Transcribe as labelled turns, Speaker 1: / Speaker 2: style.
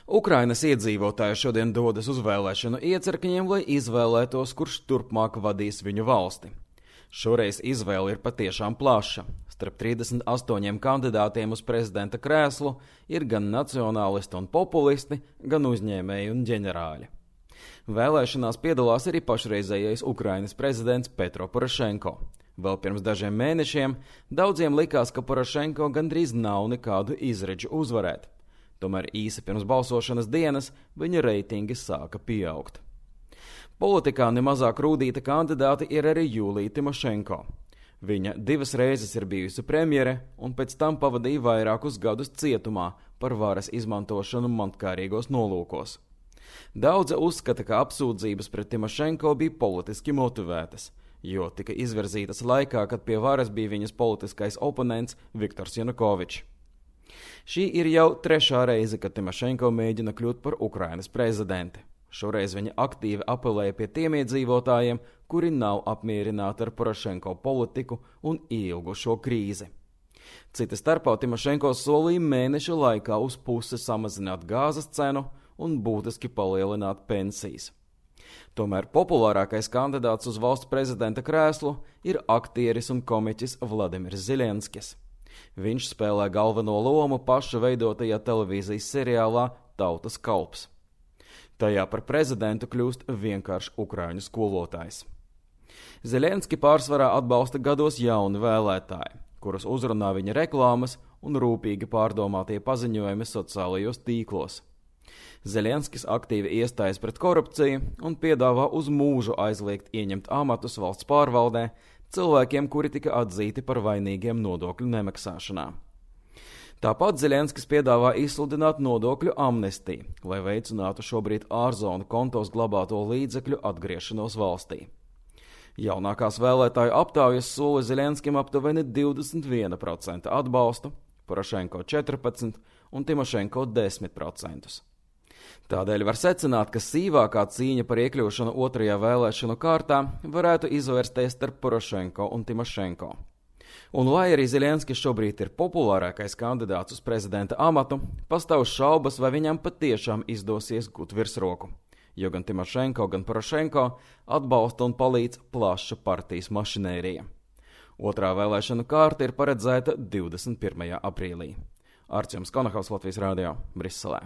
Speaker 1: Ukrainas iedzīvotāji šodien dodas uz vēlēšanu iecirkņiem, lai izvēlētos, kurš turpmāk vadīs viņu valsti. Šoreiz izvēle ir patiešām plaša. Starp 38 kandidātiem uz prezidenta krēslu ir gan nacionālisti un populisti, gan uzņēmēji un ģenerāļi. Vēlēšanās piedalās arī pašreizējais Ukrainas prezidents Petro Porošenko. Vēl pirms dažiem mēnešiem daudziem likās, ka Porošenko gandrīz nav nekādu izredzu uzvarēt. Tomēr īsi pirms balsošanas dienas viņa reitingi sāka pieaugt. Politikā nemazāk rūdīta kandidāte ir arī Julija Timošenko. Viņa 2 reizes ir bijusi premjere un pēc tam pavadīja vairākus gadus cietumā par varas izmantošanu montkārīgos nolūkos. Daudzi uzskata, ka apsūdzības pret Timošenko bija politiski motivētas, jo tika izvirzītas laikā, kad pie varas bija viņas politiskais oponents Viktors Janukovičs. Šī ir jau 3. reize, kad Timošenko mēģina kļūt par Ukrainas prezidenti. Šoreiz viņa aktīvi apelēja pie tiem iedzīvotājiem, kuri nav apmierināti ar Porošenko politiku un ilgušo krīzi. Cita starpā Timošenko solīja mēneša laikā uz pusi samazināt gāzes cenu un būtiski palielināt pensijas. Tomēr populārākais kandidāts uz valsts prezidenta krēslu ir aktieris un komiķis Vladimirs Zelenskis. Viņš spēlē galveno lomu paša veidotajā televīzijas seriālā Tautas kalps. Tajā par prezidentu kļūst vienkārši ukraiņu skolotājs. Zelenski pārsvarā atbalsta gados jauni vēlētāji, kurus uzrunā viņa reklāmas un rūpīgi pārdomātie paziņojumi sociālajos tīklos. Zelenskis aktīvi iestājas pret korupciju un piedāvā uz mūžu aizliegt ieņemt amatus valsts pārvaldē cilvēkiem, kuri tika atzīti par vainīgiem nodokļu nemaksāšanā. Tāpat Zelenskis piedāvā izsludināt nodokļu amnestiju, lai veicinātu šobrīd ārzonu kontos glabāto līdzekļu atgriešanos valstī. Jaunākās vēlētāju aptaujas sola Zelenskim aptuveni 21% atbalstu, Porošenko 14% un Timošenko 10%. Tādēļ var secināt, ka sīvākā cīņa par iekļūšanu 2. vēlēšanu kārtā varētu izvērsties starp Porošenko un Timošenko. Un lai arī Zelenskis šobrīd ir populārākais kandidāts uz prezidenta amatu, pastāv šaubas, vai viņam patiešām izdosies gūt virsroku, jo gan Timošenko, gan Porošenko atbalsta un palīdz plaša partijas mašinērija. 2. vēlēšanu kārta ir paredzēta 21. aprīlī. Artjoms Konahaus, Latvijas radio, Briselē.